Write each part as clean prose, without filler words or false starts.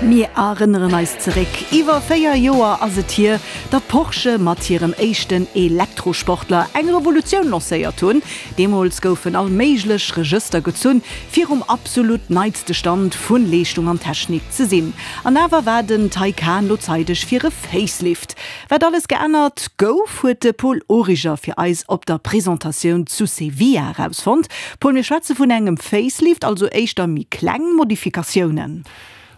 Mir erënneren eis zeréck, Iwwer 4 Joer ass et hier, datt Porsche mat hirem éischten Elektrosportler eng Revolutioun lancéiert hunn. Deemools goufen all méiglech Regëster gezunn, fir um absolut neitste Stand vu Leeschtung an Technik ze sinn. An awer war den Taycan lo zeideg fir e Facelift. Wat alles geännert gouf, huet de Paul Origer fir eis op der Presentatioun zu Sevilla erausfonnt. Paul, mir schwätze vun engem Facelift, also éischter méi kleng Modifikatiounen?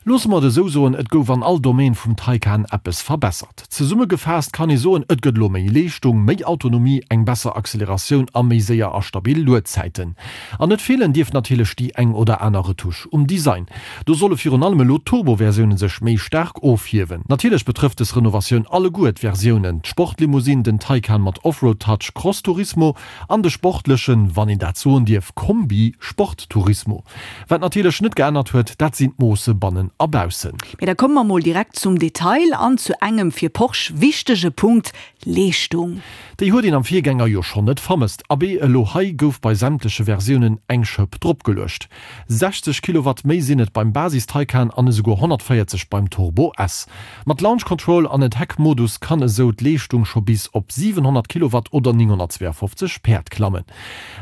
Loosse mer et esou soen, et gouf an all Domaine vum Taycan eppes verbessert. Zesummegefaasst kann ee soen, et gëtt elo méi Leeschtung, méi Autonomie, eng besser Acceleratioun a méi séier a stabil Luedzäiten. An net feelen dierf natierlech déi eng oder aner Retouche um Design. Do solle virun allem elo d'Turbo-Versioune sech méi staark ofhiewen. Natierlech betrëfft des Renovatioun alleguer d'Versiounen, d'Sportlimousine, den Taycan mat Offroad-Touch Cross Turismo an de sportlechen, wann een dat soen dierf, Kombi Sport Turismo. Wat natierlech net geännert huet, dat sinn d'Moosse bannen a baussen. Mee da komme mer mol direkt zum Detail an zu engem fir Porsche wichtege Punkt, Leeschtung. Déi huet een am Virgänger jo schonn net vermësst. Abee, elo hei gouf bei sämtleche Versiounen eng Schëpp dropgeluecht. 60 Kilowatt méi sinn et beim Basis Taycan an esouguer 140 beim Turbo S. Mat Launch Control an Attack Modus kann esou d'Leeschtung scho bis op 700 Kilowatt oder 952 Päerd klammen.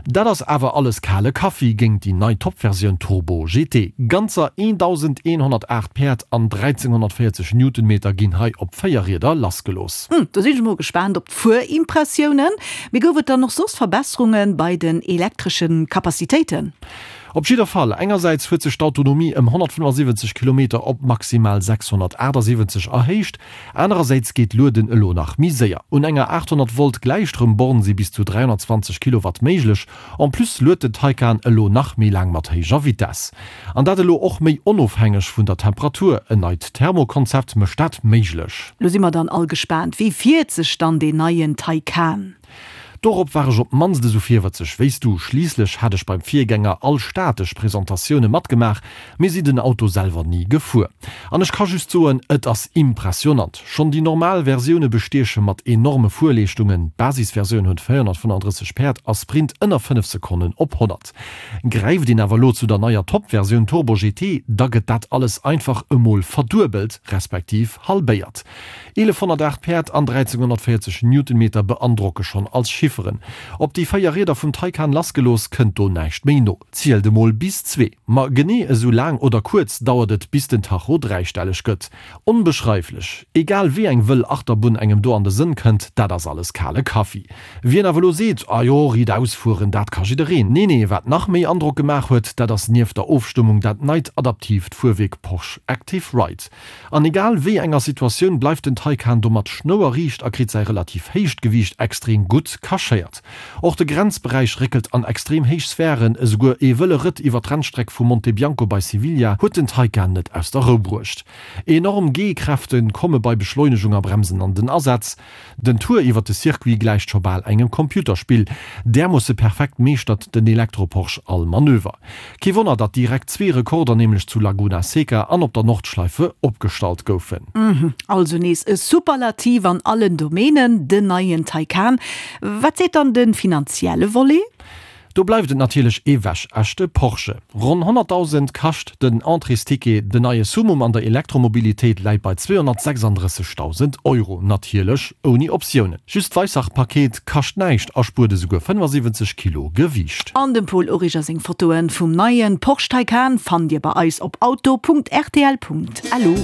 Dat ass awer alles kale Kaffi géint déi nei Top-Versioun Turbo GT. Ganzer 1.108 Päerd an 1.340 Newtonmeter ginn hei op 4 Rieder lassgelooss. Hm, do sinn ech mol gespaant op d'Fuerimpressiounen. Mee gouf et dann och soss Verbesserunge bei den elektresche Capacitéiten? Op jidder Fall, engersäits huet sech d'Autonomie ëm 175 Kilometer op maximal 678 erhéicht, anerersäits geet d'Lueden elo nach méi séier. Un enger 800 Volt Gläichstroumborn si bis zu 320 Kilowatt méiglech. En plus luet den Taycan elo nach méi laang mat héijer Vitess. An dat elo och méi onofhängeg vun der Temperatur. En neit Thermokonzept mécht dat méiglech. Lo si mer dann all gespaant, wéi fiert sech dann deen neien Taycan? Dorop war ech op d'mannst esou virwëtzeg wéi s du. Schliisslech hat ech beim Virgänger all statesch Presentatioune matgemaach, mee si den Auto selwer ni gefuer. An ech ka just soen, et ass impressionant. Schonn déi normal Versioune bestieche mat enorme Fuerleeschtungen, d'Basisversioun huet 435 Päerd a sprint ënner 5 Sekonnen op 100. Gräift een awer elo zu der neier Top-Versioun Turbo GT, da gëtt dat alles einfach emol verduebelt, respektiv halbéiert. 1108 Päerd an 1340 Newtonmeter beandrocke schonn als Chifferen. Op déi 4 Rieder vum Taycan lassgelooss, kënnt do näischt méi no. Zielt emol bis zwee. Ma genee esou laang oder kuerz dauert et bis den Tacho dräistelleg gëtt. Onbeschreiflech! Egal wéi eng wëll Achterbunn engem do an de Sënn kënnt, dat ass alles kale Kaffi. Wien awer elo seet, Ah jo, riit ausfueren, dat ka jiddereen. Nee, nee, wat nach méi Androck gemaach huet, dat ass nieft der Ofstëmmung dat neit adaptiivt Fuerwierk Porsche Active Ride. An egal wéi enger Situatioun bleift den Taycan domat schnouerriicht a kritt säi relativ héicht Gewiicht extrem gutt cachéiert. Och de Grenzberäich réckelt an extrem héich Sphären, esouguer ee wëlle Rëtt iwwer d'Rennstreck vu Monte Bianco bei Sevilla huet den Taycan net aus der Rou bruecht. Enorm G-Kräfte komme bei Beschleunegung a Bremsen an den Asaz. Den Tour iwwer de Circuit gläicht scho bal engem Computerspill, därmoosse perfekt meeschtert den Elektro-Porsche all Manöver. Kee Wonner, datt direkt zwee Rekorder, nämlech zu Laguna Seca an op der Nordschleife, opgestallt goufen. Also nees e Superlativ an allen Domänen, den neien Taycan. Wat seet dann de finanzielle Volet? Do bleift et natierlech ee wäschechte Porsche. Ronn 100.000 kascht den Entréesticket. Den neie Summum an der Elektromobilitéit läit bei 236.000 Euro, natierlech ouni Optiounen. Just d'Weissach-Paket kascht näischt a spuert esouguer 75 Kilo Gewiicht. An dem Paul Origer seng Fotoen vum neien Porsche Taycan fannt dir bei eis op auto.rtl.lu.